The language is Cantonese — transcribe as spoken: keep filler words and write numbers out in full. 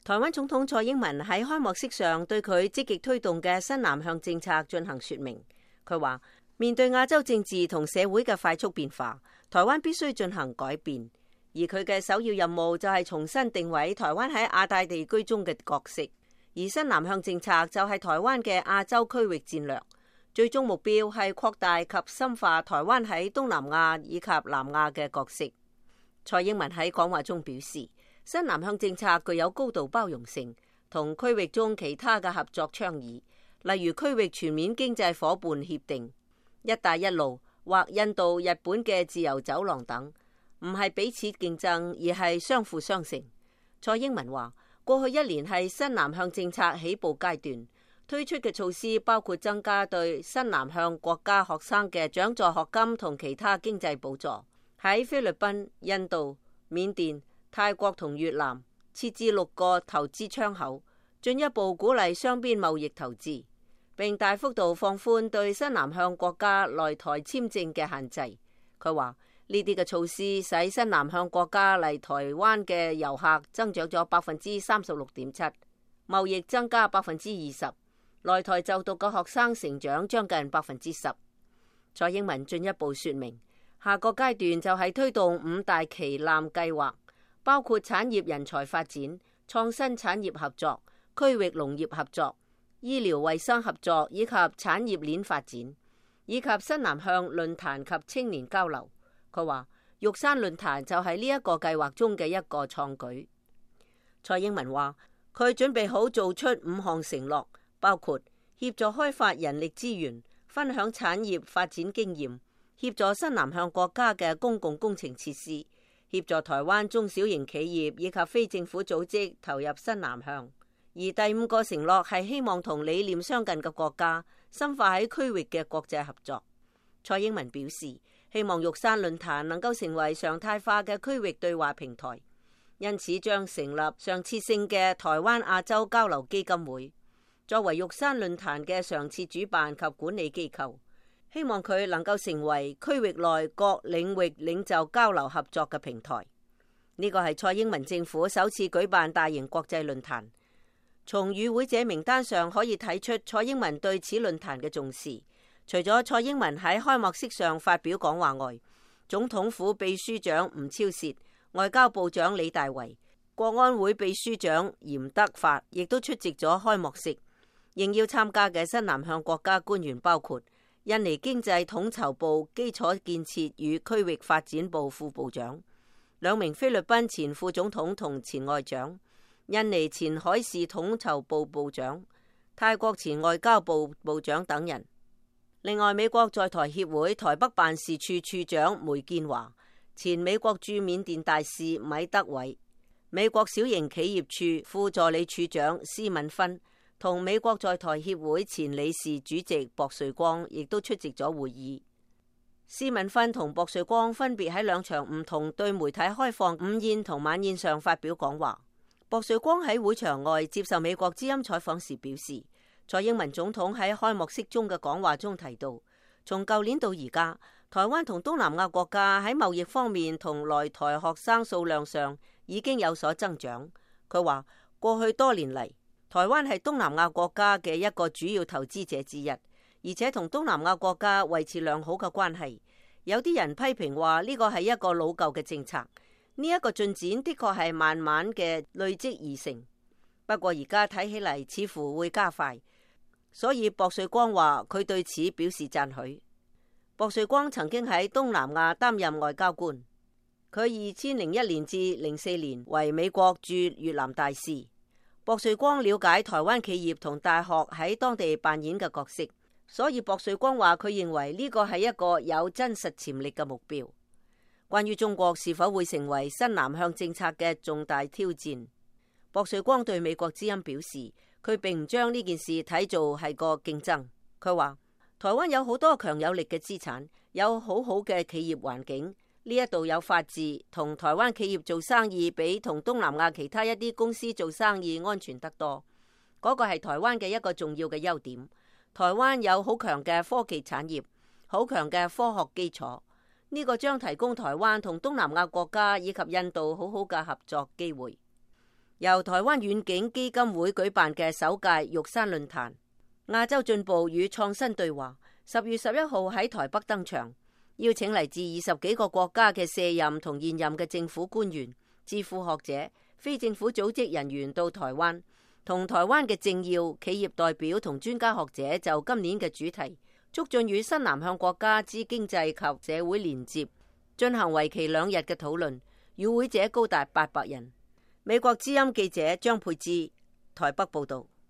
台灣總統蔡英文喺開幕式上對佢積極推動嘅新南向政策進行說明。佢話，面對亞洲政治同社會嘅快速變化，台灣必須進行改變，而佢嘅首要任務就係重新定位台灣喺亞太地區中嘅角色。而新南向政策就係台灣嘅亞洲區域戰略，最終目標係擴大及深化台灣喺東南亞以及南亞嘅角色。蔡英文喺講話中表示，新南向政策具有高度包容性，同區域中其他嘅合作倡議，例如區域全面經濟夥伴協定、一帶一路或印度、日本嘅自由走廊等，唔係彼此競爭，而係相輔相成。蔡英文話，過去一年係新南向政策起步階段，推出嘅措施包括增加對新南向國家學生嘅獎助學金同其他經濟補助，喺菲律賓、印度、緬甸、泰國同越南設置六個投資窗口，進一步鼓勵雙邊貿易投資，並大幅度放寬對新南向國家來台簽證嘅限制。佢話呢啲嘅措施使新南向國家嚟台灣嘅遊客增長咗百分之三十六點七，貿易增加百分之二十，來台就讀嘅學生成長將近百分之十。蔡英文進一步說明，下個階段就係推動五大旗艦計劃，包括產業人才發展、創新產業合作、區域農業合作、醫療衛生合作以及產業鏈發展，以及新南向論壇及青年交流。佢話玉山論壇就係呢一個計劃中嘅一個創舉。蔡英文話佢準備好做出五項承諾，包括協助開發人力資源、分享產業發展經驗、協助新南向國家嘅公共工程設施、協助台灣中小型企業以及非政府組織投入新南向。而第五個承諾係希望同理念相近嘅國家深化喺區域嘅國際合作。蔡英文表示，希望玉山論壇能夠成為常態化嘅區域對話平台，因此將成立常設性嘅台灣亞洲交流基金會，作為玉山論壇嘅常設主辦及管理機構。希望佢能夠成為區域內各領域領袖交流合作嘅平台。呢個係蔡英文政府首次舉辦大型國際論壇。從與會者名單上可以睇出蔡英文對此論壇嘅重視。除咗蔡英文喺開幕式上發表講話外，總統府秘書長吳釗燮、外交部長李大維、國安會秘書長嚴德發亦都出席咗開幕式。應邀參加嘅新南向國家官員包括印尼經濟統籌部基礎建設與區域發展部副部長、兩名菲律賓前副總統同前外長、印尼前海事統籌部部長、泰國前外交部部長等人。另外，美國在台協會台北辦事處處長梅建華、前美國駐緬甸大使米德偉、美國小型企業處副助理處長施敏芬同美國在台協會前理事主席薄瑞光亦都出席咗會議。施敏芬同薄瑞光分別喺兩場唔同對媒體開放午宴同晚宴上發表講話。薄瑞光喺會場外接受美國之音採訪時表示，蔡英文總統喺開幕式中嘅講話中提到，從舊年到而家，台灣同東南亞國家喺貿易方面同來台學生數量上已經有所增長。佢話過去多年嚟，台灣係東南亞國家嘅一個主要投資者之一，而且同東南亞國家維持良好嘅關係。有啲人批評話呢個係一個老舊嘅政策，呢一個進展的確係慢慢嘅累積而成。不過而家睇起嚟似乎會加快。所以薄瑞光話佢對此表示讚許。薄瑞光曾經喺東南亞擔任外交官，佢二千零一年至零四年為美國駐越南大使。薄瑞光了解台灣企業同大學喺當地扮演嘅角色，所以薄瑞光話佢認為呢個係一個有真實潛力嘅目標。關於中國是否會成為新南向政策嘅重大挑戰，薄瑞光對美國之音表示，佢並唔將呢件事睇做係個競爭。佢話台灣有好多強有力嘅資產，有好好嘅企業環境，呢一度有法治，同台灣企業做生意比同東南亞其他一啲公司做生意安全得多。嗰個係台灣嘅一個重要嘅優點。台灣有好強嘅科技產業，好強嘅科學基礎，呢個將提供台灣同東南亞國家以及印度好好嘅合作機會。由台灣遠景基金會舉辦嘅首屆玉山論壇，亞洲進步與創新對話，十月十一號喺台北登場，邀請嚟自二十幾個國家嘅卸任同現任嘅政府官員、智庫學者、非政府組織人員到台灣，同台灣嘅政要、企業代表同專家學者就今年嘅主題促進與新南向國家之經濟及社會連接進行為期兩日嘅討論，與會者高達八百人。美國之音記者張佩芝台北報道。